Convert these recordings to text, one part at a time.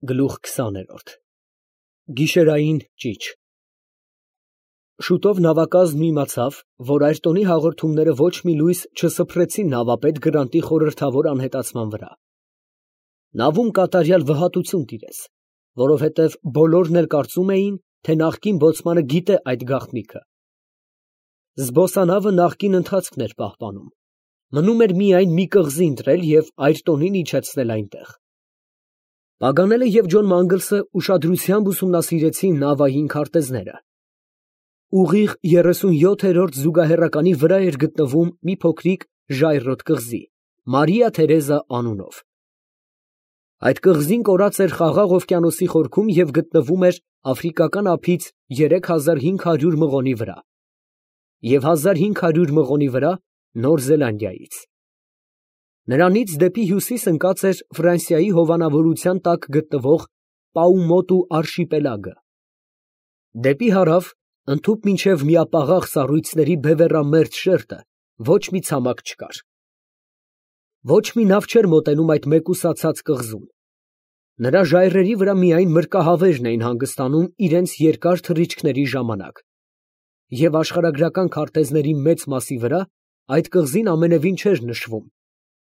Գլուխ 20 Գիշերային ճիչ Շուտով նավակազմն իմացավ, որ Այրտոնի հաղորդումները ոչ մի լույս չսփռեցին նավապետ Գրանտի խորհրդավոր անհետացման վրա։ Նավում կատարյալ վհատություն տիրեց, որովհետև բոլորն էլ կարծում էին, թե նախկին բոցմանը գիտե այդ գաղտնիքը։ Զբոսանավը նախկին ընթացքն էր պահպանում, մնում էր միայն մի կղզի ընտրել և Այրտոնին իջեցնել այնտեղ։ Պագանելը և Ջոն Մանգլսը ուշադրությամբ ուսումնասիրեցին նավային քարտեզները։ Ուղիղ 37-րդ զուգահեռականի վրա էր գտնվում մի փոքրիկ ժայռոտ կղզի, Մարիա Թերեզա անունով։ Այդ կղզին կորած էր Խաղաղ օվկիանոսի խորքում և գտնվում էր Աֆրիկական ափից 3500 մղոնի վրա և 1500 մղոնի վրա Նոր Զելանդիայից։ Նրանից դեպի հյուսիս ընկած էր Ֆրանսիայի հովանավորության տակ գտնվող Պաումոտու արշիպելագը։ Դեպի հարավ, ընդհուպ մինչև միապաղաղ սառույցների բևեռամերձ շերտը, ոչ մի ցամաք չկար։ Ոչ մի նավ չէր մոտենում այդ մեկուսացած կղզուն։ Նրա ժայռերի վրա միայն մրրկահավերն էին հանգստանում իրենց երկար թռիչքների ժամանակ, և աշխարհագրական քարտեզների մեծ մասի վրա այդ կղզին ամենևին չէր նշվում,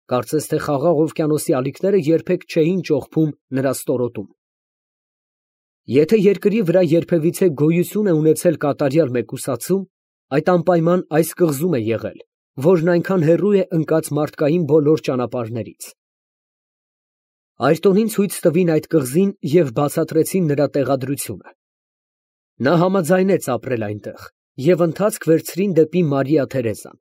կարծես թե Խաղաղ օվկիանոսի ալիքները երբեք չէին ճողփում նրա ստորոտում։ Եթե երկրի վրա երբևիցե գոյություն է ունեցել կատարյալ մեկուսացում, այդ անպայման այս կղզում է եղել, որն այնքան հեռու է ընկած մարդկային բոլոր ճանապարհներից։ Այրտոնին ցույց տվին այդ կղզին և բացատրեցին նրա տեղադրությունը։ Նա համաձայնեց ապրել այնտեղ և ընթացք վերցրին դեպի Մարիա Թերեզան։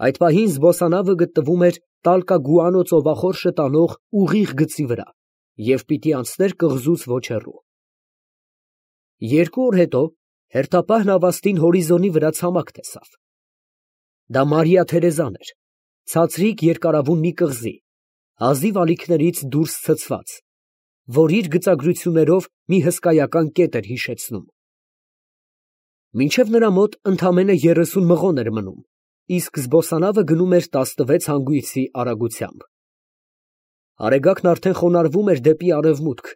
Այդ պահին զբոսանավը գտնվում էր Տալկագուանո ծովախորշը տանող ուղիղ գծի վրա և պիտի անցներ կղզուց ոչ հեռու։ 2 օր հետո հերթապահ նավաստին հորիզոնի վրա ցամաք տեսավ։ Դա Մարիա Թերեզան էր, ցածրիկ երկարավուն մի կղզի, հազիվ ալիքներից դուրս ցցված, որ իր գծագրություններով մի հսկայական կետ էր հիշեցնում։ Մինչև նրա մոտ ընդամենը 30 մղոն էր մնում, իսկ զբոսանավը գնում էր 16 հանգույցի արագությամբ։ Արեգակն արդեն խոնարհվում էր դեպի արևմուտք,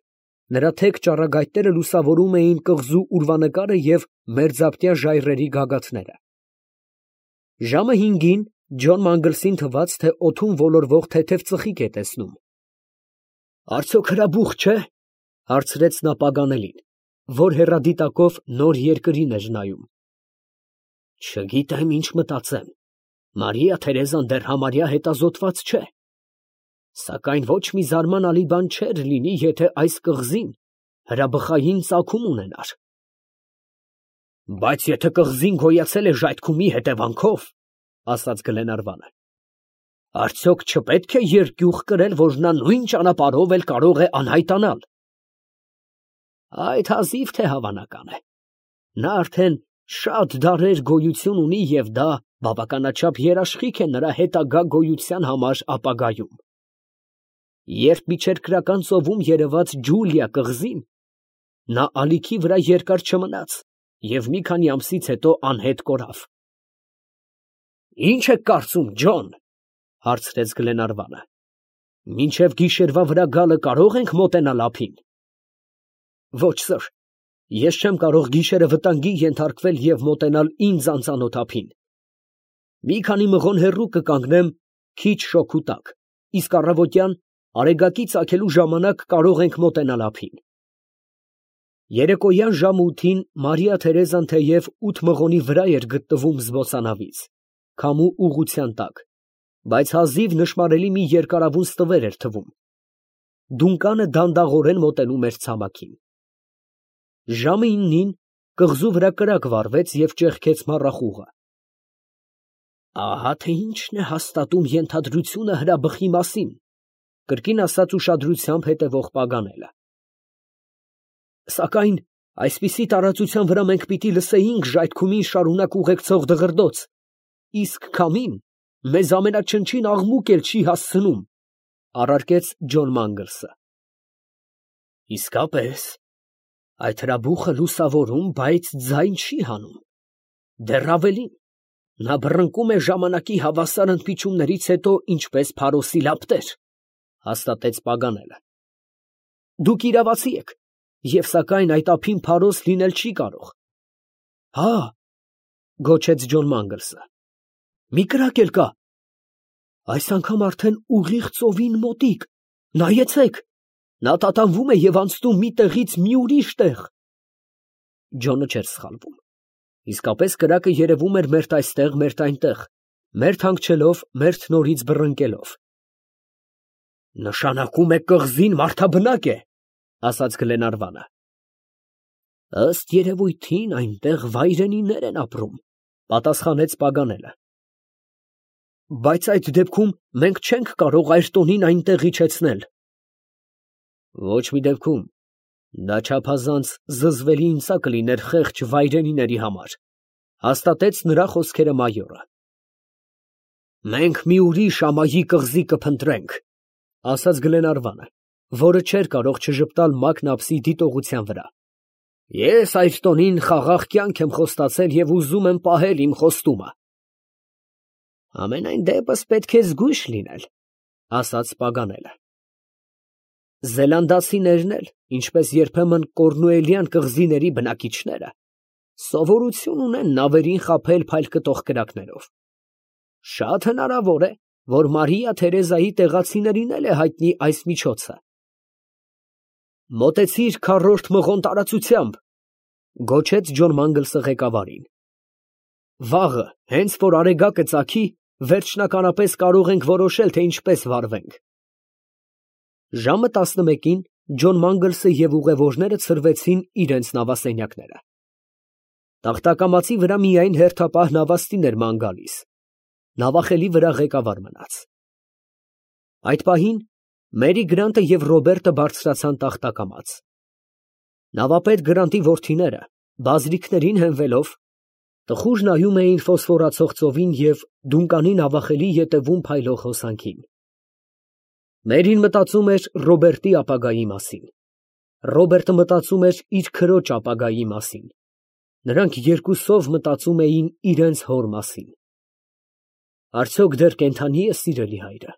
նրա թեք ճառագայթները լուսավորում էին կղզու ուրվանկարը և մերձապտյա ժայռերի գագաթները։ Ժամը 5-ին Ջոն Մանգլսին թվաց, թե օդում ոլորվող թեթև ծխիկ է տեսնում։ «Արդյոք հրաբուխ չէ՞, հարցրեց նա Պագանելին, որ հեռադիտակով նոր երկրին էր նայում։ «Չգիտեմ, ինչ մտածեմ, Մարիա Թերեզան դեռ համարյա հետազոտված չէ, սակայն ոչ մի զարմանալի բան չէր լինի, եթե այս կղզին հրաբխային ծագում ունենար»։ «Բայց եթե կղզին գոյացել է ժայթքումի հետևանքով, ֊ ասաց Գլենարվանը, ֊ արդյոք չպետք է երկյուղ կրել, որ նա նույն ճանապարհով էլ կարող է անհայտանալ»։ «Այդ հազիվ թե հավանական է. նա արդեն շատ դարեր գոյություն ունի և դա բավականաչափ երաշխիք է նրա հետագա գոյության համար ապագայում։ Երբ միջերկրական ծովում երևաց Ջուլիա կղզին, նա ալիքի վրա երկար չմնաց և մի քանի ամսից հետո անհետ կորավ»։ «Ի՞նչ եք կարծում, Ջոն, ֊ հարցրեց Գլենարվանը, ֊ մինչև գիշերվա վրա գալը կարո՞ղ ենք մոտենալ ափին»։ «Ոչ, սըր, ես չեմ կարող գիշերը վտանգի ենթարկվել և մոտենալ ինձ անծանոթ ափին։ Մի քանի մղոն հեռու կկանգնեմ քիչ շոգու տակ, իսկ առավոտյան արեգակի ծագելու ժամանակ կարող ենք մոտենալ ափին»։ Երեկոյան ժամը 8-ին Մարիա Թերեզան թեև 8 մղոնի վրա էր գտնվում զբոսանավից, քամու ուղղության տակ, բայց հազիվ նշմարելի մի երկարավուն ստվեր էր թվում։ Դունկանը դանդաղորեն մոտենում էր ցամաքին։ Ժամը 9-ին կղզու վրա կրակ վառվեց և ճեղքեց մառախուղը։ «Ահա թե ինչն է հաստատում ենթադրությունը հրաբխի մասին, ֊ կրկին ասաց ուշադրությամբ հետևող Պագանելը։ ֊ Սակայն այսպիսի տարածության վրա մենք պիտի լսեինք ժայթքումին շարունակ ուղեկցող դղրդոց, իսկ քամին մեզ ամենաչնչին աղմուկ էլ չի հասցնում, ֊ առարկեց Ջոն Մանգլսը։ ֊ Իսկապես, այդ հրաբուխը լուսավորում, բայց ձայն չի հանում, դեռ ավելին, նա բռնկում է ժամանակի հավասար ընդմիջումներից հետո ինչպես Փարոսի լապտեր, ֊ հաստատեց Պագանելը։ Դուք իրավացի եք, և սակայն այդ ափին փարոս լինել չի կարող։ Հա, գոչեց Ջոն Մանգլսը, մի կրակ էլ կա։ Այս անգամ արդեն ուղիղ ծովին մոտիկ, նայեցեք, նա տատանվում է և անցնում մի տեղից մի ուրիշ տեղ։ Ջոնը չէր սխալվում։ Իսկապես կրակը երևում էր մերթ այստեղ, մերթ այնտեղ, մերթ հանգչելով, մերթ նորից բռնկելով։ Նշանակում է կղզին մարդաբնակ է, ասաց Գլենարվանը։ Ըստ երևույթին այնտեղ վայրենիներ են ապրում, պատասխանեց Պագանելը։ Բայց այդ դեպքում մենք չենք կարող Այրտոնին այնտեղ իջեցնել։ Ոչ մի դեպքում, դա չափազանց զզվելի ինձ կլիներ խեղճ վայրենիների համար, հաստատեց նրա խոսքերը մայորը։ Մենք մի ուրիշ ամայի կղզի կփնտրենք, ասաց Գլենարվանը, որը չէր կարող չժպտալ Մակնապսի դիտողության վրա։ Ես Այրտոնին խաղաղ կյանք եմ խոստացել և ուզում եմ պահել իմ խոստումը։ Ամենայն դեպս պետք է զգույշ լինել, ասաց Պագանելը։ Զելանդացիներն էլ, ինչպես երբեմն Կորնուելյան կղզիների բնակիչները, սովորություն ունեն նավերին խաբել փայլկտող կրակներով։ Շատ հնարավոր է, որ Մարիա Թերեզայի տեղացիներին էլ է հայտնի այս միջոցը։ Մոտեցիր քառորդ մղոն տարածությամբ, գոչեց Ջոն Մանգլսը ղեկավարին։ Վաղը, հենց որ արեգակը ծագի, վերջնականապես կարող ենք որոշել, թե ինչպես վարվենք։ Ժամը 11-ին Ջոն Մանգլսը և ուղևորները ցրվեցին իրենց նավասենյակները։ Տախտակամածի վրա միայն հերթապահ նավաստին էր ման գալիս։ Նավախելի վրա ղեկավար մնաց։ Այդ պահին Մերի Գրանտը և Ռոբերտը բարձրացան տախտակամաց։ Նավապետ Գրանտի որդիները, բազրիքներին հենվելով, տխուր նայում էին ֆոսֆորացող ծովին և Դունկանի նավախելի ետևում փայլող հոսանքին։ Մերին մտածում էր Ռոբերտի ապագայի մասին։ Ռոբերտը մտածում էր իր քրոջ ապագայի մասին։ Նրանք երկուսով մտածում էին իրենց հոր մասին։ Արդյոք դեռ կենդանի է սիրելի հայրը։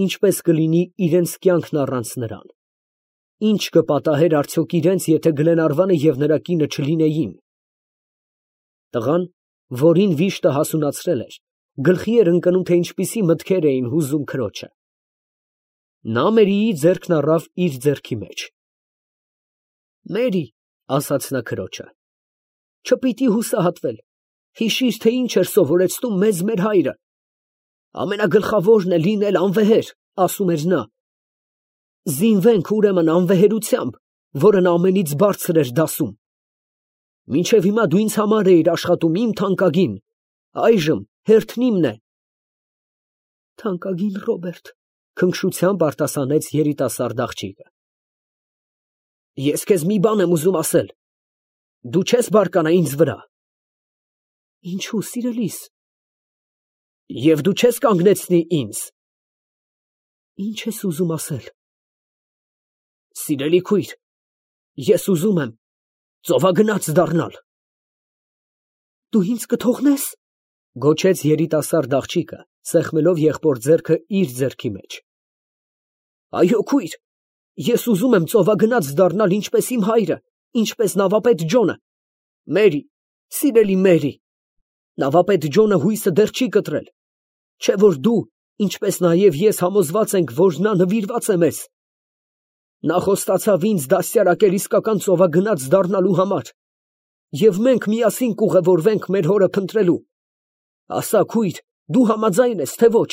Ինչպես կլինի իրենց կյանքն առանց նրան։ Ինչ կպատահեր արդյոք իրենց, եթե Գլենարվանը և նրա կինը չլինեին։ Տղան, որին վիշտը հասունացրել էր, գլխի էր ընկնում, թե ինչպիսի մտքեր էին հուզում քրոջը։ Նա Մերիի ձեռքն առավ իր ձեռքի մեջ։ Մերի, ասաց նա քրոջը, չպիտի հուսահատվել, հիշիր, թե ինչ էր սովորեցնում մեզ մեր հայրը։ Ամենագլխավորն է լինել անվեհեր, ասում էր նա։ Զինվենք ուրեմն անվեհերությամբ, որն ամենից բարձր էր դասում։ Մինչև հիմա դու ինձ համար էիր աշխատում, իմ թանկագին, այժմ հերթն իմն է։ Թանկագին Ռոբերտ, քնքշությամբ արտասանեց երիտասարդ աղջիկը։ Ես քեզ մի բան եմ ուզում ասել։ Դու չես բարկանա ինձ վրա։ Ինչու, սիրելիս։ Եվ դու չես կանգնեցնի ինձ։ Ինչ ես ուզում ասել։ Սիրելի քույր, ես ուզում եմ ծովագնաց դառնալ։ Դու ինձ կթողնես, գոչեց երիտասարդ աղջիկը, սեղմելով եղբոր ձեռքը իր ձեռքի մեջ։ Այո, քույր, ես ուզում եմ ծովագնաց դառնալ ինչպես իմ հայրը, ինչպես նավապետ Ջոնը։ Մերի, սիրելի Մերի, նավապետ Ջոնը հույսը դեռ չի կտրել, չէ որ դու, ինչպես նաև ես համոզված ենք, որ նա նվիրված է մեզ։ Նա խոստացավ ինձ դաստիարակել իսկական ծովագնաց դառնալու համար, և մենք միասին կուղևորվենք մեր հորը փնտրելու։ Ասա, քույր, դու համաձայն ես, թե ոչ։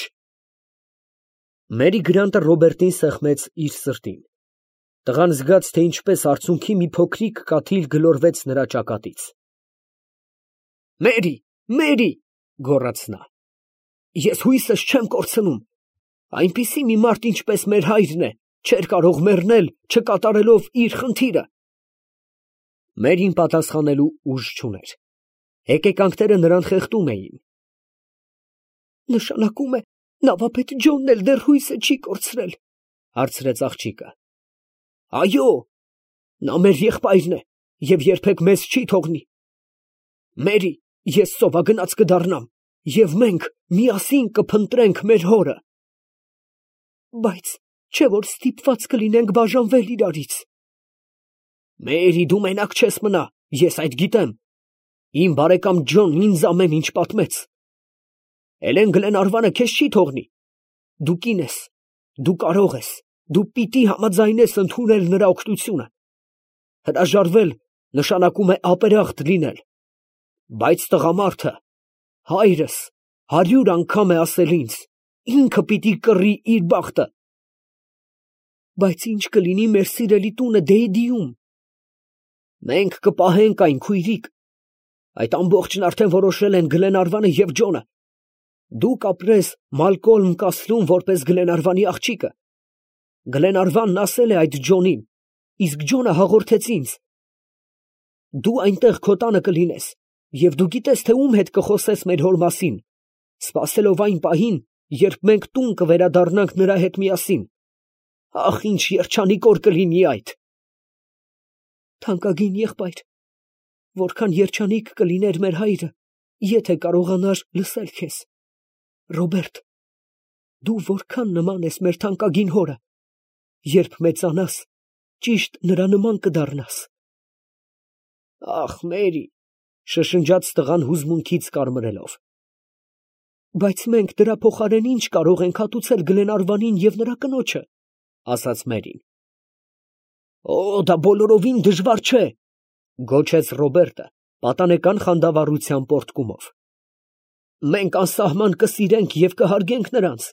Մերի Գրանտը Ռոբերտին սեղմեց իր սրտին։ Տղան զգաց, թե ինչպես արցունքի մի փոքրիկ կաթիլ գլորվեց նրա ճակատից։ Մերի, Մերի, գոռաց նա, ես հույսս չեմ կորցնում։ Այնպիսի մի մարդ, ինչպես մեր հայրն է, չէր կարող մեռնել, չկատարելով իր խնդիրը։ Մերին պատասխանելու ուժ չուներ։ Հեկեկանքները նրան խեղդում էին։ Նշանակում է, նավապետ Ջոնն էլ դեռ հույսը չի կորցրել, հարցրեց աղջիկը։ Այո, նա մեր եղբայրն է և երբեք մեզ չի թողնի։ Մերի, ես ծովագնաց կդառնամ, և մենք միասին կփնտրենք մեր հորը։ Բայց չէ որ ստիպված կլինենք բաժանվել իրարից։ Մերի, դու մենակ չես մնա, ես այդ գիտեմ։ Իմ բարեկամ Ջոնն ինձ ամեն ինչ պատմեց։ Էլեն Գլենարվանը քեզ չի թողնի։ Դու կին ես, դու կարող ես, դու պիտի համաձայնես ընդունել նրա օգնությունը։ Հրաժարվել նշանակում է ապերախտ լինել։ Բայց տղամարդը, հայրս, 100 անգամ է ասել ինձ, ինքը պիտի կռի իր բախտը։ Բայց ինչ կլինի մեր սիրելի տունը Դեյդիում։ Մենք կպահենք այն, քույրիկ։ Այդ ամբողջն արդեն որոշել են Գլենարվանը և Ջոնը։ Դու կապրես Մալկոլմ կասրում որպես Գլենարվանի աղջիկը։ Գլենարվանն ասել է այդ Ջոնին, իսկ Ջոնը հաղորդեց ինձ։ Դու այնտեղ քո տանը կլինես, և դու գիտես, թե ում հետ կխոսես մեր հոր մասին, սպասելով այն պահին, երբ մենք տուն կվերադառնանք նրա հետ միասին։ Ախ, ինչ երջանիկ օր կլինի այդ։ Թանկագին եղբայր, որքան երջանիկ կլիներ մեր հայրը, եթե կարողանար լսել քեզ։ Ռոբերտ, դու որքան նման ես մեր թանկագին հորը, երբ մեծանաս, ճիշտ նրա նման կդառնաս։ Ախ, Մերի, շշնջաց տղան հուզմունքից կարմրելով։ Բայց մենք դրա փոխարեն ինչ կարող ենք հատուցել Գլենարվանին և նրա կնոջը, ասաց Մերին։ Օ, դա բոլորովին դժվար չէ, գոչեց Ռոբերտը պատանեկան խանդավառության պոռթկումով։ Մենք անսահման կսիրենք և կհարգենք նրանց,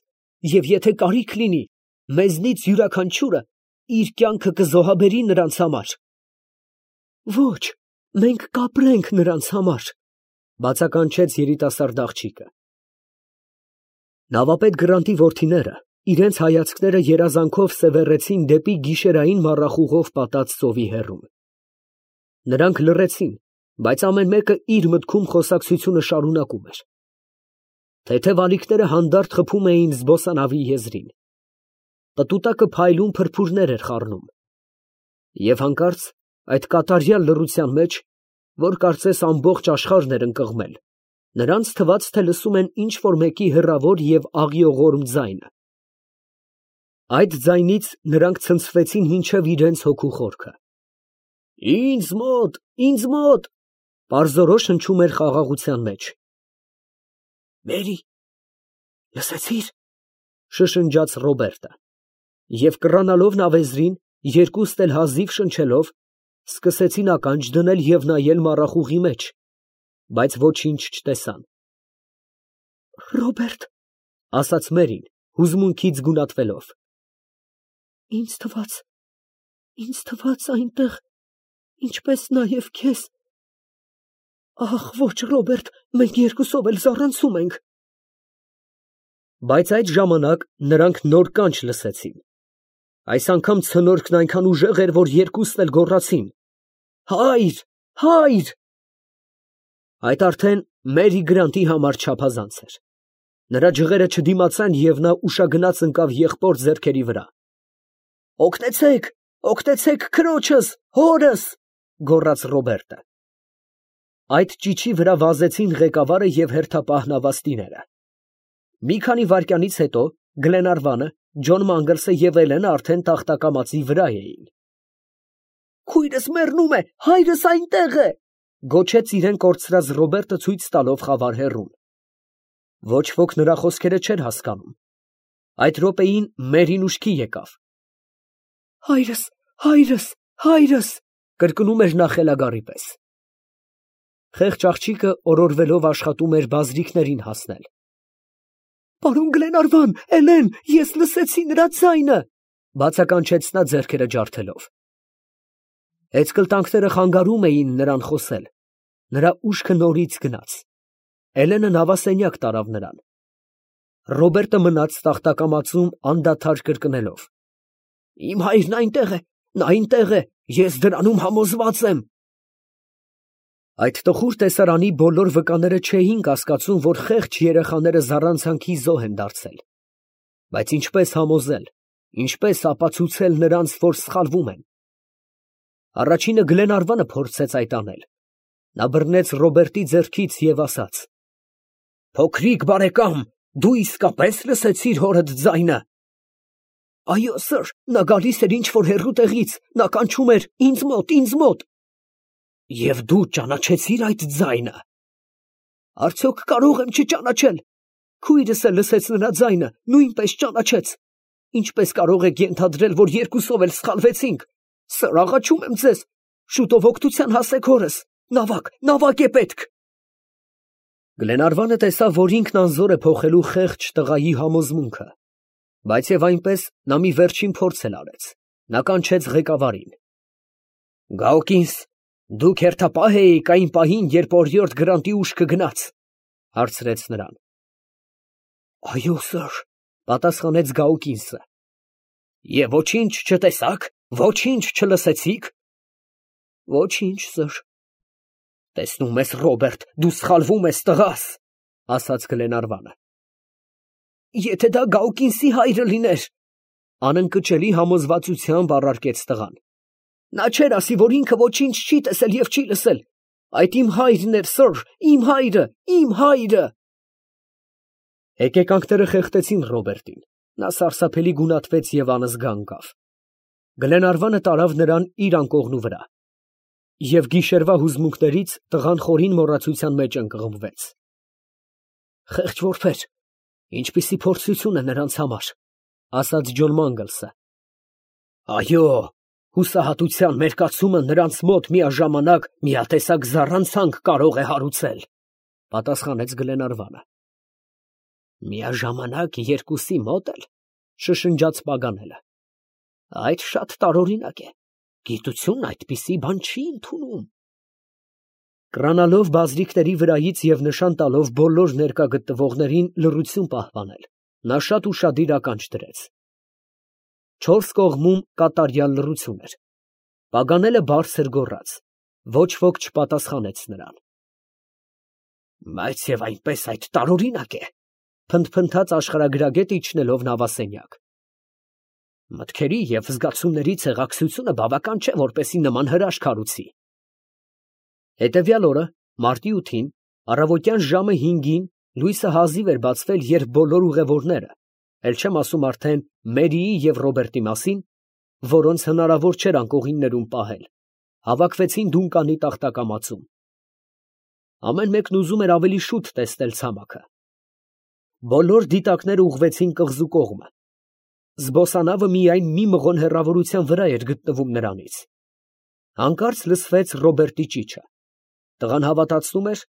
և եթե կարիք լինի, մեզնից յուրաքանչյուրը իր կյանքը կզոհաբերի նրանց համար։ Ոչ, մենք կապրենք նրանց համար, բացականչեց երիտասարդ աղջիկը։ Նավապետ Գրանտի որդիները իրենց հայացքները երազանքով սևեռեցին դեպի գիշերային մառախուղով պատած ծովի հեռում։ Նրանք լռեցին, բայց ամեն մեկը իր մտքում խոսակցությունը շարունակում էր։ Թեթև ալիքները հանդարտ խփում էին զբոսանավի եզրին։ Պտուտակը փայլուն փրփուրներ էր խառնում։ Եվ հանկարծ այդ կատարյալ լռության մեջ, որ կարծես ամբողջ աշխարհն էր ընկղմել, նրանց թվաց, թե լսում են ինչ֊որ մեկի հեռավոր և աղիողորմ ձայնը։ Այդ ձայնից նրանք ցնցվեցին մինչև իրենց հոգու խորքը։ Ինձ մոտ, պարզորոշ հնչում էր խաղաղության մեջ։ Մերի, լսեցի՞ր, շշնջաց Ռոբերտը, և կռանալով նավեզրին, երկուստ էլ հազիվ շնչելով, սկսեցին ականջ դնել և նայել մառախուղի մեջ, բայց ոչինչ չտեսան։ Ռոբերտ, ասաց Մերին, հուզմունքից գունատվելով։ Ինձ թվաց այնտեղ, ինչպես նաև քեզ։ Ախ, ոչ, Ռոբերտ, մենք երկուսով էլ զառանցում ենք։ Բայց այդ ժամանակ նրանք նոր կանչ լսեցին։ Այս անգամ ցնորքն այնքան ուժեղ էր, որ երկուսն էլ գոռացին. Հայր, հայր։ Այդ արդեն Մերի Գրանտի համար չափազանց էր։ Նրա ջղերը չդիմացան և նա ուշագնաց ընկավ եղբոր ձեռքերի վրա։ Օգնեցեք, օգնեցեք քրոջս, հորս, գոռաց Ռոբերտը։ Այդ ճիչի վրա վազեցին ղեկավարը և հերթապահ նավաստիները։ Մի քանի վայրկյանից հետո Գլենարվանը, Ջոն Մանգլսը և Էլենը արդեն տախտակամածի վրա էին։ Քույրս մեռնում է, հայրս այնտեղ է, գոչեց իրեն կորցրած Ռոբերտը ցույց տալով խավար հեռուն։ Ոչ ոք նրա խոսքերը չէր հասկանում։ Այդ րոպեին Մերին ուշքի եկավ։ Հայրս, կրկնում էր նա խելագարի պես։ Խեղճ աղջիկը օրորվելով աշխատում էր բազրիքներին հասնել։ Պարոն Գլենարվան, Էլեն, ես լսեցի նրա ձայնը, բացականչեց նա ձեռքերը ջարդելով։ Էցկլտանքները խանգարում էին նրան խոսել։ Նրա ուշքը նորից գնաց։ Էլենը նավասենյակ տարավ նրան։ Ռոբերտը մնաց տախտակամածում անդադար կրկնելով. Իմ հայրն այնտեղ է, նա այնտեղ է, ես դրանում համոզված եմ։ Այդ տխուր տեսարանի բոլոր վկաները չէին կասկածում, որ խեղճ երեխաները զառանցանքի զոհ են դարձել։ Բայց ինչպես համոզել, ինչպես ապացուցել նրանց, որ սխալվում են։ Առաջինը Գլենարվանը փորձեց այդ անել։ Նա բռնեց Ռոբերտի ձեռքից և ասաց. Փոքրիկ բարեկամ, դու իսկապես լսեցիր հորդ ձայնը։ Այո, սըր, նա գալիս էր ինչ-որ հեռու տեղից, նա կանչում էր ինձ մոտ, ինձ մոտ։ Եվ դու ճանաչեցիր այդ ձայնը։ Արդյոք կարող եմ չճանաչել։ Քույրս էլ լսեց նրա ձայնը, նույնպես ճանաչեց։ Ինչպես կարող եք ենթադրել, որ երկուսով էլ սխալվեցինք։ Սըր, աղաչում եմ ձեզ, շուտով օգնության հասեք հորս։ Նավակ է պետք։ Գլենարվանը տեսավ, որ ինքն անզոր է փոխելու խեղճ տղայի համոզմունքը, բայց եւ այնպես նա մի վերջին փորձ էլ արեց։ Նա կանչեց ղեկավարին։ Գաուկինս, դուք հերթապահ էիք այն պահին, երբ օրիորդ Գրանտի ուշքը գնաց, հարցրեց նրան։ Այո, սըր, պատասխանեց Գաուկինսը։ Եվ ոչինչ չտեսաք, ոչինչ չլսեցիք։ Ոչինչ, սըր։ Տեսնում ես, Ռոբերտ, դու սխալվում ես, տղաս, ասաց Գլենարվանը։ Եթե դա Գաուկինսի հայրը լիներ, անընկճելի համոզվածությամբ առարկեց տղան։ Նա չէր ասի, որ ինքը ոչինչ չի տեսել և չի լսել։ Այդ իմ հայրն էր, սըր, իմ հայրը, իմ հայրը։ Հեկեկանքները խեղդեցին Ռոբերտին։ Նա սարսափելի գունատվեց և անզգա ընկավ։ Գլենարվանը տարավ նրան իր անկողնու վրա։ Եվ գիշերվա հուզմունքներից տղան խորին մոռացության մեջ ընկղմվեց։ Խեղճ որբեր, ինչպիսի փորձություն է նրանց համար, ասաց Ջոն Մանգլսը։ Այո, հուսահատության մերկացումը նրանց մոտ միաժամանակ միատեսակ զառանցանք կարող է հարուցել, պատասխանեց Գլենարվանը։ Միաժամանակ երկուսի մոտ էլ, շշնջաց Պագանելը։ Այդ շատ տարօրինակ է։ Գիտությունն այդպիսի բան չի ընդունում։ Կրանալով բազրիկների վրայից և նշան տալով բոլոր ներկա գտնվողներին լռություն պահպանել, նա շատ ուշադիր ականջ դրեց։ Չորս կողմում կատարյալ լռություն էր։ Պագանելը բարձր գոռաց, ոչ ոք չպատասխանեց նրան։ Բայց և այնպես այդ տարօրինակ է, փնթփնթաց աշխարհագրագետը իջնելով նավասենյակ։ Մտքերի և զգացումների ցեղակցությունը բավական չէ, որպեսզի նման հրաշք հարուցի։ Հետևյալ օրը, մարտի 8-ին, առավոտյան ժամը 5-ին լույսը հազիվ էր բացվել, երբ բոլոր ուղևորները, էլ չեմ ասում արդեն Մերիի և Ռոբերտի մասին, որոնց հնարավոր չէր անկողիններում պահել, հավաքվեցին Դունկանի տախտակամածում։ Ամեն մեկն ուզում էր ավելի շուտ տեսնել ցամաքը։ Բոլոր դիտակները ուղղվեցին կղզու կողմը։ Զբոսանավը միայն մի մղոն հեռավորության վրա էր գտնվում նրանից։ Հանկարծ լսվեց Ռոբերտի ճիչը։ Տղան հավատացնում էր,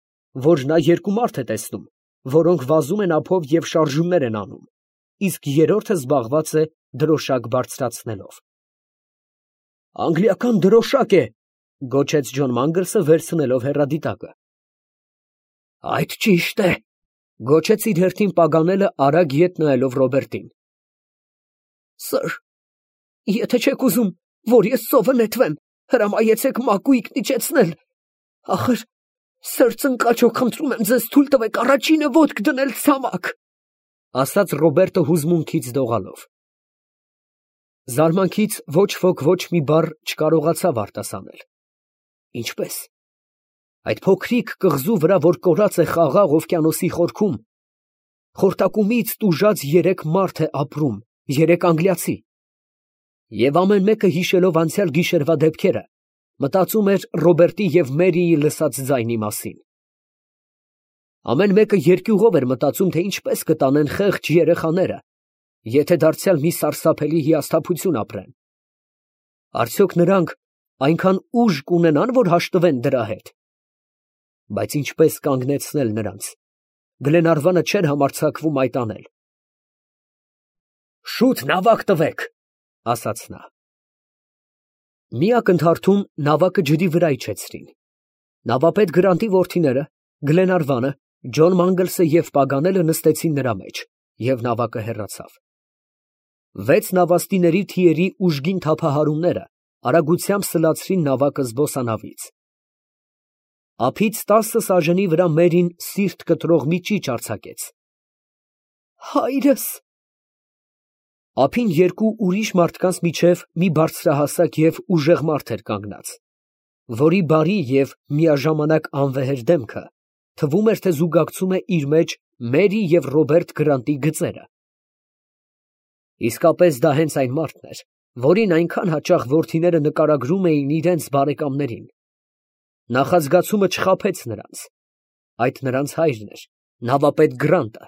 որ նա երկու մարդ է տեսնում, որոնք վազում են ափով և շարժումներ են անում, իսկ երրորդը զբաղված է դրոշակ բարձրացնելով։ Անգլիական դրոշակ է, գոչեց Ջոն Մանգլսը վերցնելով հեռադիտակը։ Այդ ճիշտ է, գոչեց իր հերթին Պագանելը արագ ետ նայելով Ռոբերտին։ Սըր, եթե չեք ուզում, որ ես ծովը նետվեմ, հրամայեցեք մակույկն իջեցնել։ Ախր, սըր ծնկաչոք, խնդրում եմ ձեզ, թույլ տվեք առաջինը ոտք դնել ցամաք, ասաց Ռոբերտը հուզմունքից դողալով։ Զարմանքից ոչ ոք ոչ մի բառ չկարողացավ արտասանել։ Ինչպես։ Այդ փոքրիկ կղզու վրա, որ կորած է խաղաղ օվկիանոսի խորքում, խորտակումից տուժած 3 մարդ է ապրում, 3 անգլիացի։ Եվ ամեն մեկը հիշելով անցյալ գիշերվա դեպքերը, մտածում էր Ռոբերտի և Մերիի լսած ձայնի մասին։ Ամեն մեկը երկյուղով էր մտածում, թե ինչպես կտանեն խեղճ երեխաները, եթե դարձյալ մի սարսափելի հիասթափություն ապրեն։ Արդյոք նրանք այնքան ուժ կունենան, որ հաշտվեն դրա հետ։ Բայց ինչպես կանգնեցնել նրանց։ Գլենարվանը չէր համարձակվում այդ անել։ Շուտ նավակ տվեք, ասաց նա։ Մի ակնթարթում նավակը ջրի վրա իջեցրին։ Նավապետ Գրանտի որդիները, Գլենարվանը, Ջոն Մանգլսը և Պագանելը նստեցին նրա մեջ, և նավակը հեռացավ։ 6 նավաստիների թիերի ուժգին թափահարումները արագությամբ սլացրին նավակը զբոսանավից։ Ափից 10 սաժենի վրա Մերին սիրտ կտրող մի ճիչ արձակեց։ Հայրս։ Ափին 2 ուրիշ մարդկանց միջև մի բարձրահասակ և ուժեղ մարդ էր կանգնած, որի բարի և միաժամանակ անվեհեր դեմքը թվում էր, թե զուգակցում է իր մեջ Մերի և Ռոբերտ Գրանտի գծերը։ Իսկապես դա հենց այն մարդն էր, որին այնքան հաճախ որդիները նկարագրում էին իրենց բարեկամներին. նախազգացումը չխաբեց նրանց. այդ նրանց հայրն էր, նավապետ Գրանտը։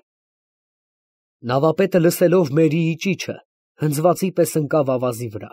Նավապետը, լսելով Մերիի ճիչը, հնձվածի պես ընկավ ավազի վրա։